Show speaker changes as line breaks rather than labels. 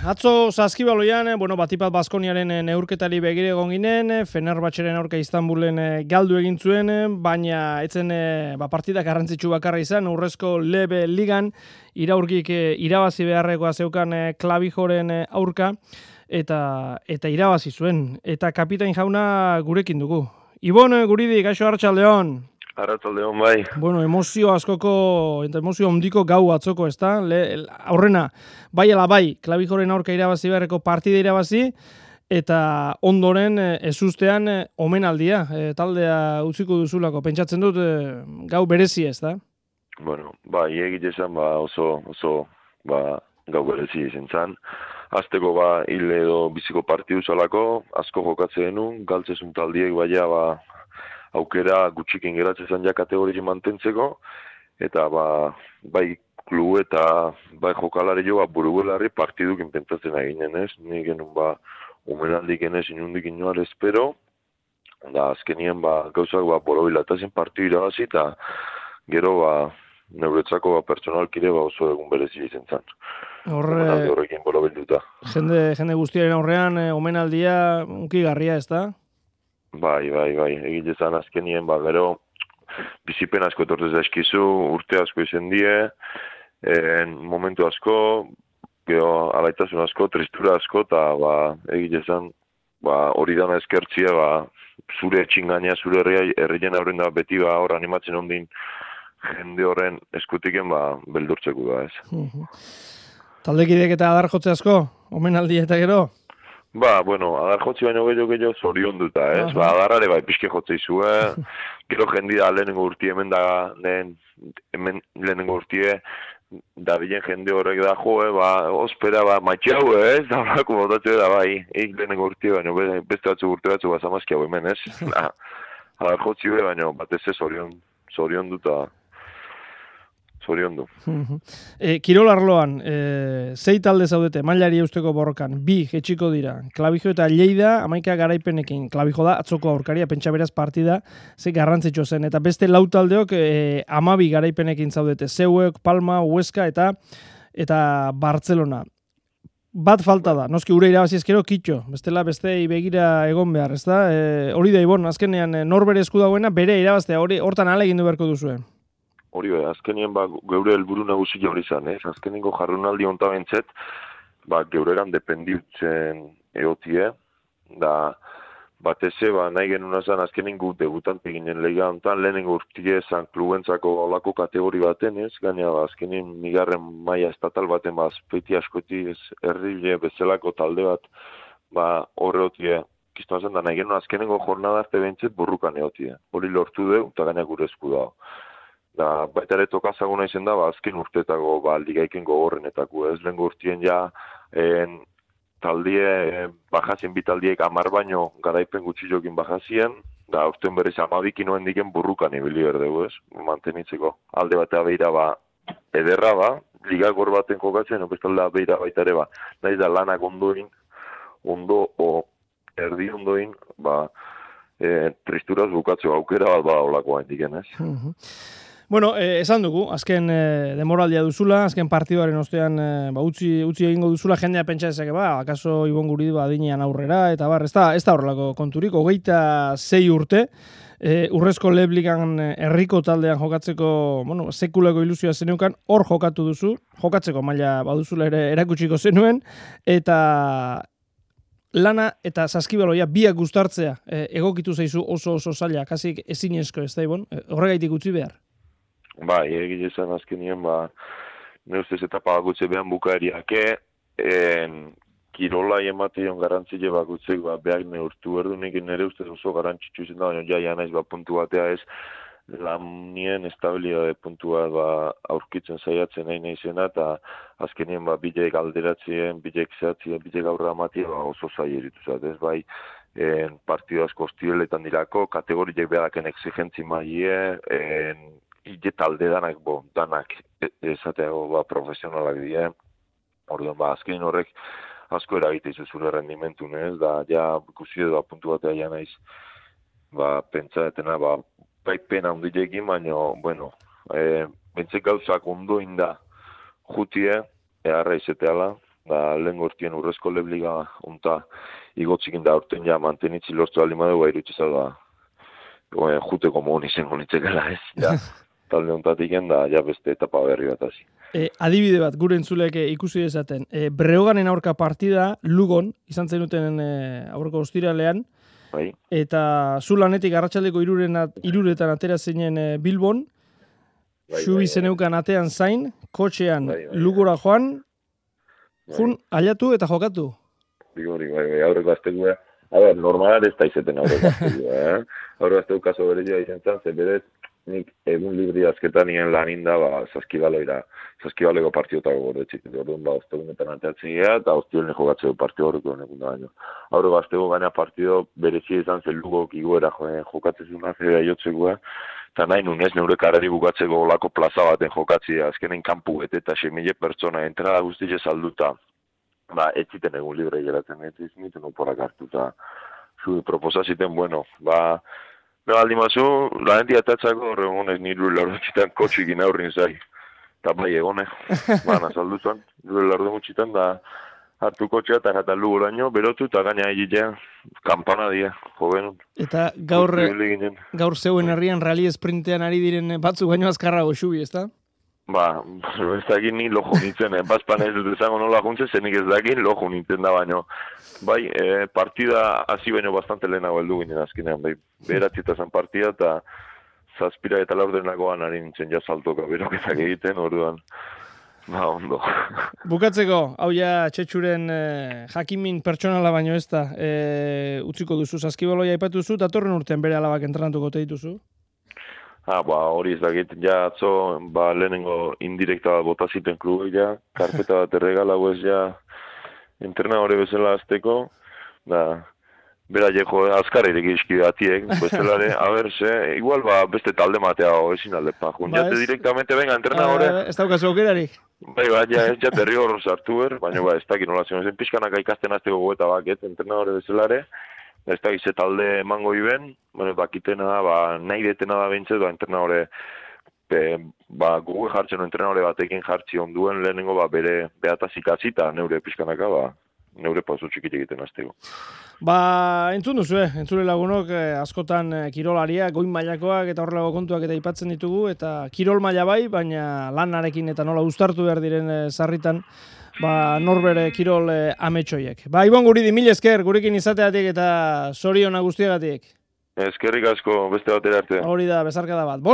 Atzo Saskibaloian, Batipat Baskoniaren neurketari begire egon ginen, Fenerbahçeren aurka Istanbulen galdu egin zuen, baina etzen partida garrantzitsu bakarra izan, urrezko lebe ligan iraurgik irabazi beharrekoa zeukan Klavijoren aurka, eta irabazi zuen. Eta kapitain jauna gurekin dugu. Ibon, guridi, gaixo Arratsaldeon.
Arratsaldeon bai.
Emozio askoko, eta emozio ondiko gau atzoko, ez da? Aurrena, bai ala bai, Klavijoren aurka irabazi beharreko partida irabazi, eta ondoren ezustean omenaldia, taldea utziko duzulako. Pentsatzen dut gau berezi, ez da?
Bueno, bai, egite esan oso gau berezi izan zan. Azteko hil edo biziko partidu zalako, asko jokatzen denun, galtzezun taldiek baina aukera gutxikin geratzen zan ja kategoria mantentzeko, eta bai klubu eta bai jokalari jo buruguelarri partidukin pentsatzen eginen ez, ni genuen omenaldik enez inundik inoar espero, da azkenien gauzak borobilatazen partidu irabazi, eta gero neuretzako pertsonalkire oso egun berezi izan zan. Horrekin borobilduta.
Jende guztiaren aurrean omenaldia unkigarria, ez da?
Bai, egite zan azkenien, gero bizipen asko etortez eskizu, urte asko izan die, momentu asko, gero alaitasun asko, tristura asko, eta egite zan, hori dana eskertzia, zure etxingania, zure herrien aurren da beti hor animatzen ondin jende horren eskutiken beldurtzeko da, ez.
Taldekidek eta adar jotze asko, omenaldi eta gero?
Adar jotzi baino gehiago zorion duta, ez? Adarrare pixke jotze izue, gero jendi da lehenengo urtie hemen da, lehenengo urtie, da bilen jende horrek da ospera, maitxau, ez? Da horako botatxe da, lehenengo urtie, baina beste batzu urte batzu bazamazkiago hemen, ez? Adar jotzi baina batez ez zorion duta. Zorion du.
Kirol arloan, zei talde zaudete, mailari eusteko borrokan, 2 jetxiko dira, Klavijo eta Lleida, 11 garaipenekin, Klavijo da, atzoko aurkaria, pentsa beraz partida, ze garrantzitsu zen, eta beste lau taldeok 12 garaipenekin zaudete, Zeuek, Palma, Huesca eta Barcelona. Bat falta da, noski ure irabazi ezkero kitxo, bestela bestei begira egon behar, ez da? Hori da, Ibon, azkenean norbere esku dagoena, bere irabaztea, hortan alegin du beharko duzuen.
Hori azkenien geure helburu nagusi hori izan, ez? Azkenengo jarrunaldi honta bentzet, geuregan dependitzen egotie, da bateze, nahi genuen azan azkenengo debutante ginen lega hontan, lehenengo urtie zan klubentzako olako kategori baten, ez? Gaina azkenien migarren maila estatal baten, azpeiti askoti, herrile bezalako talde bat, horre otie, kiztu azan, da nahi genuen azkenengo jornada arte bentzet burrukan egotie. Hori lortu deu, eta gaina gure esku dago. Da, baita ere tokazaguna izen da, azken urteetako ligaiken gogorrenetako, ez lehen urtien taldie, bajazien bitaldiek 10 baino garaipen gutxi jokin bajazien, da urten berriz 12 noen diken burrukan ibili berdegu, ez, mantenitzeko. Alde batea behira ederra, ligagor baten jokatzen, bestalda behira baita ere nahi da lanak ondoin, erdi ondoin, tristuraz bukatzeko aukera bat olakoa indiken, ez.
Bueno, esan dugu, azken demoraldia duzula, azken partiduaren ostean utzi egingo duzula, jendea pentsa ezake, akaso Ibon Guridi adinean aurrera, eta ez da horrelako konturik, 26 urte, urrezko lebligan herriko taldean jokatzeko, sekulako ilusioa zeneukan, hor jokatu duzu, jokatzeko maila baduzula ere erakutsiko zenuen, eta lana eta Saskibaloia biak gustartzea egokitu zaizu oso zaila, kasik ezinezko, ez da Ibon, horregaitik utzi behar.
Egite zen azkenien, ne ustez etapa bakutze behan bukaeriake, kirolai emateon garantzile bakutzek, behak neurtu berdunik, nire ustez oso garantzitsu izan da, baina ja naiz puntu batea ez, lanien estabilidade puntu bat aurkitzen saiatzen nahi izena, eta azkenien bilek alderatzien, bilek zehatzien, bilek aurra amatia oso zaila erituzat, ez partidu asko hostibeletan dirako, kategoriek beharaken exigentzi maie, ide talde danak esateago profesionalak dira. Orduan, azkenin horrek asko eragite izu zure rendimentun, ez? Da, ja, ikusi edo puntu batea ja naiz, pentsatena, pena hundilekin, baina, bueno, bentsek gauzak ondo inda jutie, eharra izeteala, da lehen gortien urrezko lebliga unta igotzikin da urten ja mantenitzi lortu aldi madeu irutxeza da juteko mohon izango nitzekela ez, ja. Talde ontatik da, ja beste etapa berri bat hasi.
Adibide bat, gure entzulek ikusi dezaten. Breoganen aurka partida, Lugon, izan zenuten aurreko ostiralean,
bai.
Eta zu lanetik arratsaldeko 3:00 atera zinen Bilbon, Xubi zeneukan atean zain, kotxean Lugora joan, jun, aliatu eta jokatu.
Bigori, bai, aurreko aztekua. Normalar ez da izeten aurreko aztekua, Aurreko azteko kaso berezia izan zen, ze berez, nik egun libri azketan nien lanin da, Saskibaloiko partidotako gordetxik. Orduan, ostegunetan anteatzen gira, eta ostiolne jokatzeko partido horreko honekin da baino. Aurreko azteko gaina partido berezia izan zen Lugok iguera jokatzen zuen azera jotzekoa, eta nahi nunez neure karari bukatzeko olako plaza baten jokatzea, azkenen kanpu eta 6.000 pertsona entrada guztize salduta, ez ziten egun libre geratzen, ez ziten oporak hartuta. Zu proposaziten, bueno, aldi mazu, lanendi atatzako horregonez niru lardoetxitan kotxikin aurrin zai. Eta bai egone, nazalduzuan, niru lardoetxitan da hartu kotxea eta jatan Lugoraino, berotu eta gaina egitea, kampana dia, jovenun.
Eta gaur zeuen herrian rally sprintean ari diren batzu baino azkarrago Xubi, ez da?
Ez dakit ni lojo nintzen, bazpan ez dut ezango nola juntzen, zenik ez dakit lojo nintzen da baino. Bai, partida hasi baino bastante lehenago heldu ginen azkenean, bai, beratzieta zen partida eta 7 eta 4 ari nintzen ja saltoka beroketak egiten, orduan, ondo.
Bukatzeko, hau ja Txetxuren jakimin pertsonala baino ez da, utziko duzu, Saskibaloia aipatu duzu, datorren urtean bere alabak entrenatuko te dituzu?
Hori ez dakit, ja atzo, lehenengo indirekta bat bota ziten klubu, ja, karpeta bat erregalago ez, ja, entrenadore bezala azteko, bera jeko azkar ireki izkide atiek, bestelare, igual beste talde matea ezin aldepa, jate directamente, venga, entrenadore.
Ez daukazu aukerarik?
Bai, ja berri hor sartu baina ez dakit nola zion, zen pixkanaka ikasten azteko goeta baket, entrenadore bezalare, ez da gize talde emango iben, bakitena da, nahi detena da bintzet, entrenadore, gugu jartzen entrenadore batekin jartzi onduen lehenengo bere beatazik azita neure pixkanaka, neure pauso txikit egiten azteko.
Entzun duzu, entzule lagunok, askotan kirolaria, goin mailakoak eta horrelago kontuak eta aipatzen ditugu, eta kirol maila bai, baina lanarekin eta nola uztartu behar diren sarritan, norbere kirol ametsoiek. Ibon Guridi, mil esker, gurekin izateatik eta zoriona guztiagatik.
Eskerrik asko, beste batera arte.
Hori da, bezarkada bat.